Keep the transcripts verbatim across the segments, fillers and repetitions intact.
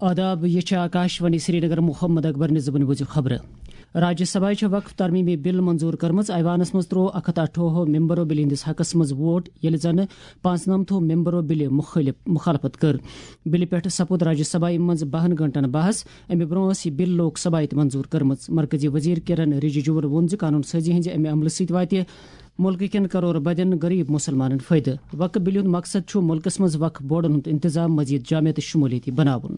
آداب، یہِ چھِ آکاشوانی سرینگر۔ محمد اکبر نِظامٕنۍ بوٗزِو خبرٕ۔ راجیہ سبھایہِ چھےٚ وقف ترمیمی بل منظور کٔرمٕژ۔ ایوانس منٛز تروو اکھ ہتھ اٹھووُہ ممبرو بلہِ ہٕنٛدِس حقس منٛز ووٹ، ییٚلہِ زن پانٛژنمتھو ممبرو بلہِ مخٲلف، مخالفت کٔر۔ بلہِ پٮ۪ٹھ سپُد راجیہ سبھایہِ منٛز بہن گھنٹن بحث۔ امہِ برونٛہہ ٲس یہِ بل لوک سبھایہِ تہِ منظور کٔرمٕژ۔ مرکزی وزیر کرن رجیجوہن ووٚن زِ قانون سازی ہٕنٛزِ امہِ عملہٕ سۭتۍ واتہِ مُلکہٕ کٮ۪ن کرور بدٮ۪ن غریب مسلمانن فٲیدٕ۔ وقف بلہِ ہُنٛد مقصد چھُ مُلکس منٛز وقف بورڈن ہُنٛد انتظام مزید جامع تہٕ شمولیتی بناوُن۔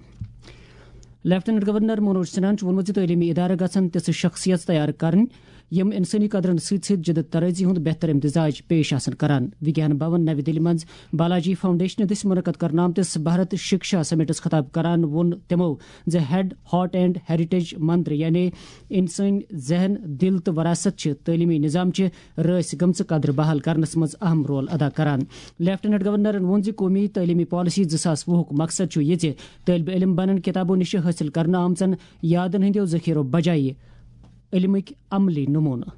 لیفٹیننٹ گورنر منوج سنہاہن چھُ ووٚنمُت زِ تعلیمی ادارٕ گژھن تِژھٕ شخصیژ تیار کرٕنۍ، یِم انسٲنی قدرن سۭتۍ سۭتۍ جدت طرازی ہُنٛد بہتر امتزاج پیش آسن کران۔ وگیان بھون نَوِ دِلہِ منٛز بالاجی فاؤنڈیشن دٔسۍ منعقد کرنہٕ آمتِس بھارت شکشا سمٹس خطاب کران ووٚن تِمو زِ ہیڈ، ہارٹ اینڈ ہیریٹیج منتر، یعنی انسٲنی ذہن، دل تہٕ وراثت چھِ تعلیمی نظام چہِ رٲسۍ گٔمژٕ قدرٕ بحال کرنس منٛز اہم رول ادا کران۔ لیفٹیننٹ گورنرن ووٚن زِ قومی تعلیمی پالیسی زٕ ساس وُہُک مقصد چھُ یہِ زِ طٲلبہِ علم بنن کتابو نِش حٲصِل کرنہٕ آمژن یادن ہٕنٛدیو ذخیرو بجایہِ علمٕکۍ عملی نمونہٕ۔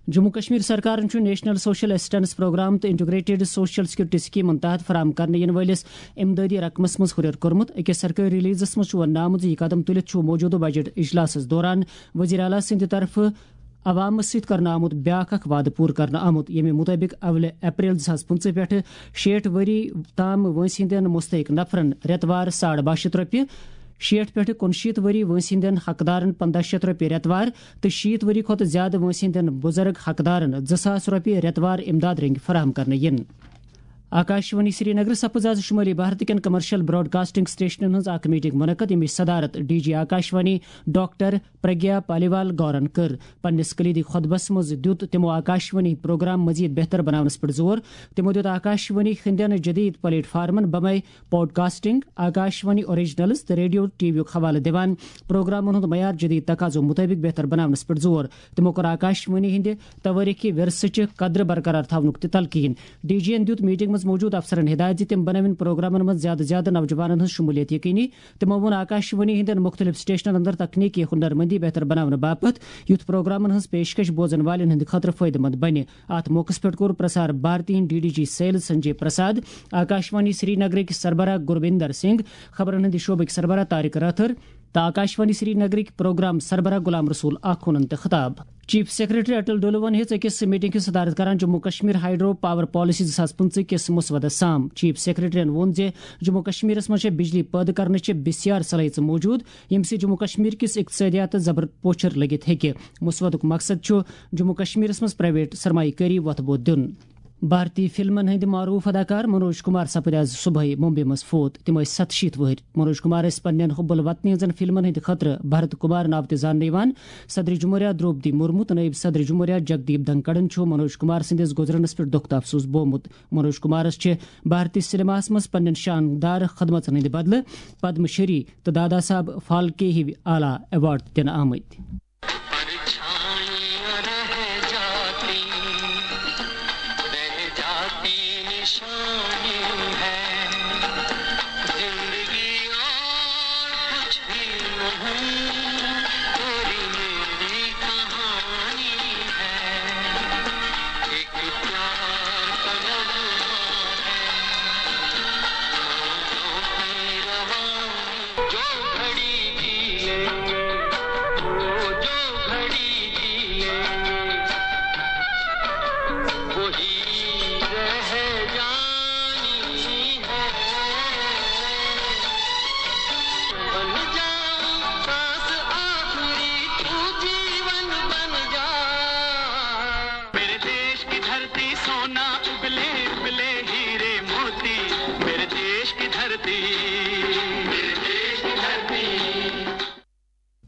جموں کشمیر سرکارن چھُ نیشنل سوشل اسسٹنس پروگرام تہٕ انٹیگریٹڈ سوشل سیکورٹی سکیمن تحت فراہم کرنہٕ یِنہٕ وٲلِس امدادی رقمس منٛز ہُرٮ۪ر کوٚرمُت۔ أکِس سرکٲرۍ ریلیزس منٛز چھُ وننہٕ آمُت زِ یہِ قدم تُلِتھ چھُ موجودٕ بجٹ اجلاسس دوران وزیر اعلیٰ سٕنٛدِ طرفہٕ عوامس سۭتۍ کرنہٕ آمُت بیاکھ اکھ وعدٕ پوٗرٕ کرنہٕ آمُت، ییٚمہِ مُطٲبِق اولہِ اپریل زٕ ساس پٕنٛژٕہ پٮ۪ٹھٕ شیٹھ ؤری تام وٲنٛسہِ ہٕنٛدٮ۪ن مستحق نفرن رٮ۪تہٕ وار ساڑ باہ شیٚتھ رۄپیہِ، شیٹھ پٮ۪ٹھٕ کُنشیٖتھ ؤری وٲنٛسہِ ہٕنٛدٮ۪ن حقدارن پنٛداہ شیٚتھ رۄپیہِ رٮ۪تہٕ وار تہٕ شیٖتھ ؤری کھۄتہٕ زیادٕ وٲنٛسہِ ہٕنٛدٮ۪ن بُزرگ حقدارن زٕ ساس رۄپیہِ رٮ۪تہٕ وار امداد رٔنٛگۍ فراہم کرنہٕ یِن۔ آکاشوانی سرینگر سپٕز آز شمٲلی بھارت کٮ۪ن کمرشل براڈ کاسٹنگ سٹیشنن ہٕنٛز اکھ میٹنگ منعقد، ییٚمِچ صدارت D G Akashvani doctor Pragya Paliwal گورن کٔر۔ پننِس کلیدی خطبس منٛز دیُت تِمو آکاشوانی ہٕنٛدۍ پروگرام مزید بہتر بناونس پٮ۪ٹھ زور۔ تِمو دیُت آکاشوانی ہٕنٛدٮ۪ن جدید پلیٹ فارمن بمے پوڈکاسٹنگ، آکاشوانی اوریجنلز تہٕ ریڈیو ٹی وی یُک حوالہٕ دِوان پروگرامن ہُنٛد معیار جدید تقاضو مُطٲبِق بہتر بناونس پٮ۪ٹھ زور۔ تِمو کوٚر آکاشوانی ہٕنٛدِ توٲریخی ورثہٕ چہِ قدرٕ برقرار تھاونُک تہِ تلقین۔ ڈی جی یَن دیُت میٹنگ منٛز موجود افسرن ہدایت زِ تِم بنٲوِن پروگرامن منٛز زیادٕ زیادٕ نوجوانن ہٕنٛز شمولیت یقینی۔ تِمو ووٚن آکاشوانی ہٕنٛدٮ۪ن مُختٔلِف سٹیشنن اندر تکنیکی ہُنرمندی بہتر بناونہٕ باپتھ یُتھ پروگرامن ہٕنٛز پیشکش بوزن والٮ۪ن ہٕنٛدِ خٲطرٕ فٲیدٕ مند بنہِ۔ اتھ موقعس پٮ۪ٹھ کوٚر پرسار بھارتی ہٕنٛدۍ D D G sales Sanjay Prasad, Akashvani سرینگرٕکۍ سربراہ گرویندر سنگھ، خبرن ہٕنٛدِ شعبٕکۍ سربراہ طارق رٲتھر تہٕ آکاشوانی سرینگرٕکۍ پروگرام سربراہ غلام رسول آخونن تہِ خطاب۔ چیف سیکرٹری اٹل ڈولون ہیٚژ أکِس میٹنگ ہٕنٛز صدارت کران Jammu Kashmir hydro power policy زٕ ساس پٕنٛژٕہ کِس مسودس سام۔ چیف سیکرٹریَن ووٚن زِ جموں کشمیرس منٛز چھےٚ بجلی پٲدٕ کرنٕچ بسیار صلٲحیژٕ موجود، ییٚمہِ سۭتۍ جموں کشمیر کِس اقتصٲدیاتس زبر پوچھر لٔگِتھ ہیٚکہِ۔ مسودُک مقصد چھُ جموں کشمیرس منٛز پرائیویٹ سرمایہ کٲری وۄتھٕ بوٚد دیُن۔ بھارتی فلمن ہٕنٛدۍ معروف اداکار منوج کمار سپٕدۍ آز صبحٲے ممبئی منٛز فوت۔ تِم ٲسۍ ستشیٖتھ وٕہٕرۍ۔ منوج کمار ٲسۍ پننٮ۪ن حب الوطنی ہٕنٛزن فلمن ہٕنٛدِ خٲطرٕ بھارت کمار ناوٕ تہِ زاننہٕ یِوان۔ صدر جمہوریہ دروپدی مرمو تہٕ نٲیِب صدر جمہوریہ جگدیپ دھنکڑن چھُ منوج کمار سٕنٛدِس گُزرنس پٮ۪ٹھ دۄکھ تہٕ افسوس بومُت۔ منوج کمارس چھِ بھارتی سینماہس منٛز پننٮ۪ن شاندار خدمژن ہٕنٛدِ بدلہٕ پدم شری تہٕ دادا صاحب فالکے ہِوۍ اعلیٰ ایوارڈ تہِ دِنہٕ آمٕتۍ۔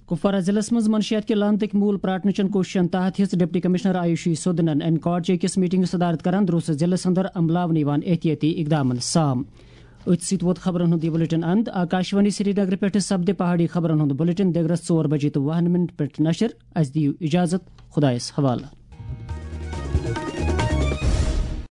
کپوارہ ضلعس منٛز منشیات کہِ لعنتٕکۍ موٗل پراٹنہٕ چٮ۪ن کوٗششن تحت ہیٚژ ڈپٹی کمشنر آیوشی سودنن انکاٹ چہِ أکِس میٹنگہِ صدارت کران دروسس ضلعس اندر عملاونہٕ یِوان احتیاطی اقدامن سام۔ أتھۍ سۭتۍ ووت خبرن ہُنٛد یہِ بلیٹن اند۔ آکاشوانی سرینگر پٮ۪ٹھٕ سپدِ پہاڑی خبرن ہُنٛد بلیٹن دگرس ژور بجے تہٕ وُہن منٹ پٮ۪ٹھ نشر۔ اسہِ دِیِو اجازت، خدایس حوالہٕ۔